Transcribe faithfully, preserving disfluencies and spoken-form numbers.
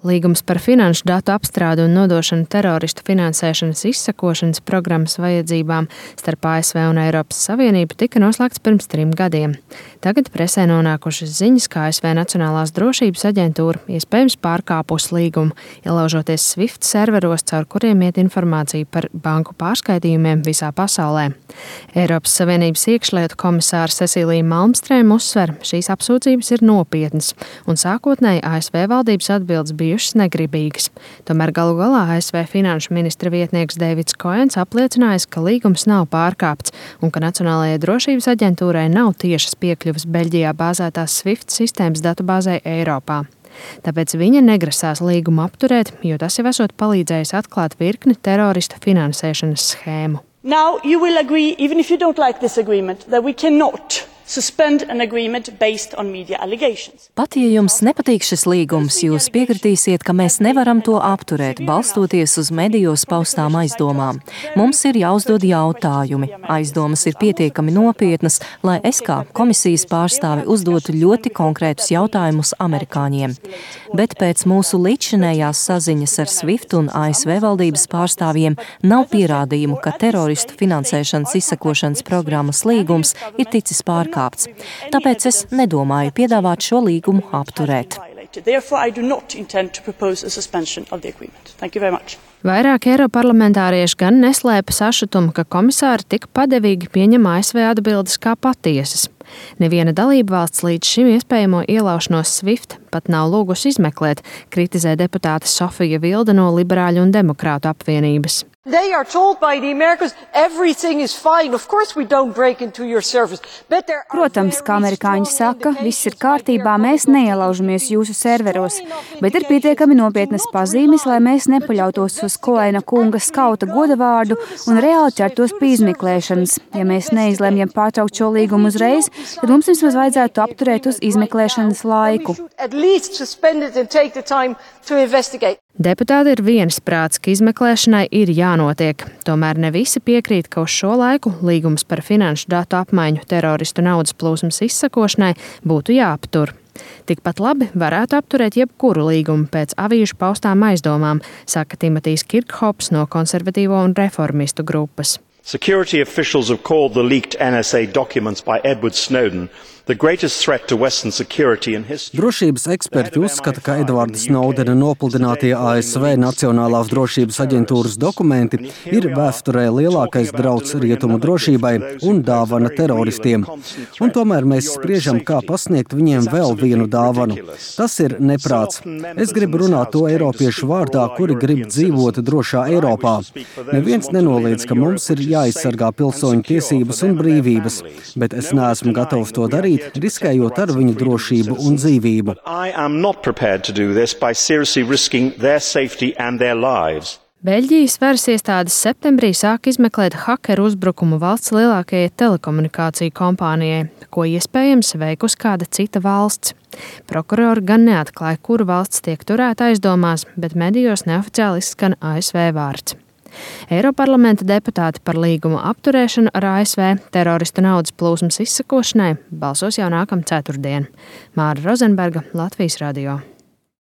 Līgums par finanšu datu apstrādi un nodošanu teroristu finansēšanas izsekošanas programmas vajadzībām starp A S V un Eiropas Savienību tika noslēgts pirms trim gadiem. Tagad presē nonākušas ziņas, ka A S V Nacionālās drošības aģentūra iespējams pārkāpus līgumu, ielaužoties SWIFT serveros, caur kuriem iet informācija par banku pārskaitījumiem visā pasaulē. Eiropas Savienības iekšlietu komisāra Cecīlija Malmstrēma uzsver, šīs apsūdzības ir nopietnas, un sākotnēji A S V valdības atbildes bijušas negribīgas. Tomēr galu galā A S V finanšu ministra vietnieks Deivids Koens apliecinājis, ka līgums nav pārkāpts un ka Nacionālajai drošības aģentūrai nav tiešas piekļuves Beļģijā bāzētās SWIFT sistēmas datubāzei Eiropā. Tāpēc viņa negrasās līgumu apturēt, jo tas jau esot palīdzējis atklāt virkni teroristu finansēšanas schēmu. Now you will agree, even if you don't like this agreement, that we cannot suspend an agreement based on media allegations. Pat ja jums nepatīk šis līgums, jūs piekritīsiet, ka mēs nevaram to apturēt, balstoties uz medijos paustām aizdomām. Mums ir jāuzdod jautājumi. Aizdomas ir pietiekami nopietnas, lai es kā komisijas pārstāvi uzdotu ļoti konkrētus jautājumus amerikāņiem. Bet pēc mūsu līdzšinējās saziņas ar SWIFT un A S V valdības pārstāvjiem nav pierādījumu, ka teroristu finansēšanas izsekošanas programmas līgums ir ticis pārkāpts. Tāpēc es nedomāju piedāvāt šo līgumu apturēt. Vairāk eiroparlamentārieši gan neslēpa sašutumu, ka komisāri tik padevīgi pieņem A S V atbildes kā patiesas. Neviena dalība valsts līdz šim iespējamo ielaušanos SWIFT pat nav lūgusi izmeklēt, kritizē deputāte Sofija Vilde no Liberāļu un Demokrātu apvienības. They are told by the Americans everything is fine. Of course we don't break into your servers. Protams, kā amerikāņi saka, viss ir kārtībā, mēs neielaužamies jūsu serveros, bet ir pietiekami nopietnas pazīmes, lai mēs nepaļautos uz Koena kunga skauta godavārdu un reāli ķertos pie izmeklēšanas. Ja mēs neizlemjam pārtraukt šo līgumu uzreiz, tad mums vismaz vajadzētu apturēt uz izmeklēšanas laiku. Deputāti ir viensprāts, ka izmeklēšanai ir jānotiek. Tomēr ne visi piekrīt, ka uz šo laiku līgums par finanšu datu apmaiņu teroristu naudas plūsmas izsakošanai būtu jāaptur. Tikpat labi varētu apturēt jebkuru līgumu pēc avīžu paustām aizdomām, saka Timotijs Kirkhops no konservatīvo un reformistu grupas. Security officials have called the leaked N S A documents by Edward Snowden the greatest threat to Western security in history. Drošības eksperti uzskata, ka Edvarda Snowdena nopludinātie A S V Nacionālās drošības aģentūras dokumenti ir vēsturē lielākais drauds rietumu drošībai un dāvana teroristiem. Un tomēr mēs spriežam, kā pasniegt viņiem vēl vienu dāvanu. Tas ir neprāts. Es gribu runāt to eiropiešu vārdā, kuri grib dzīvot drošā Eiropā. Neviens nenoliedz, ka mums ir jāaizsargā pilsoņu tiesības un brīvības, bet es neesmu gatavs to darīt, riskējot ar viņu drošību un dzīvību. Beļģijas varas iestādes septembrī sāk izmeklēt hakeru uzbrukumu valsts lielākajai telekomunikāciju kompānijai, ko iespējams veikus kāda cita valsts. Prokurori gan neatklāja, kura valsts tiek turēta aizdomās, bet medijos neoficiāli izskan A S V vārds. Eiroparlamenta deputāti par līguma apturēšanu ar A S V teroristu naudas plūsmas izsekošanai balsos jau nākamā ceturtdiena. Māra Rozenberga, Latvijas radio.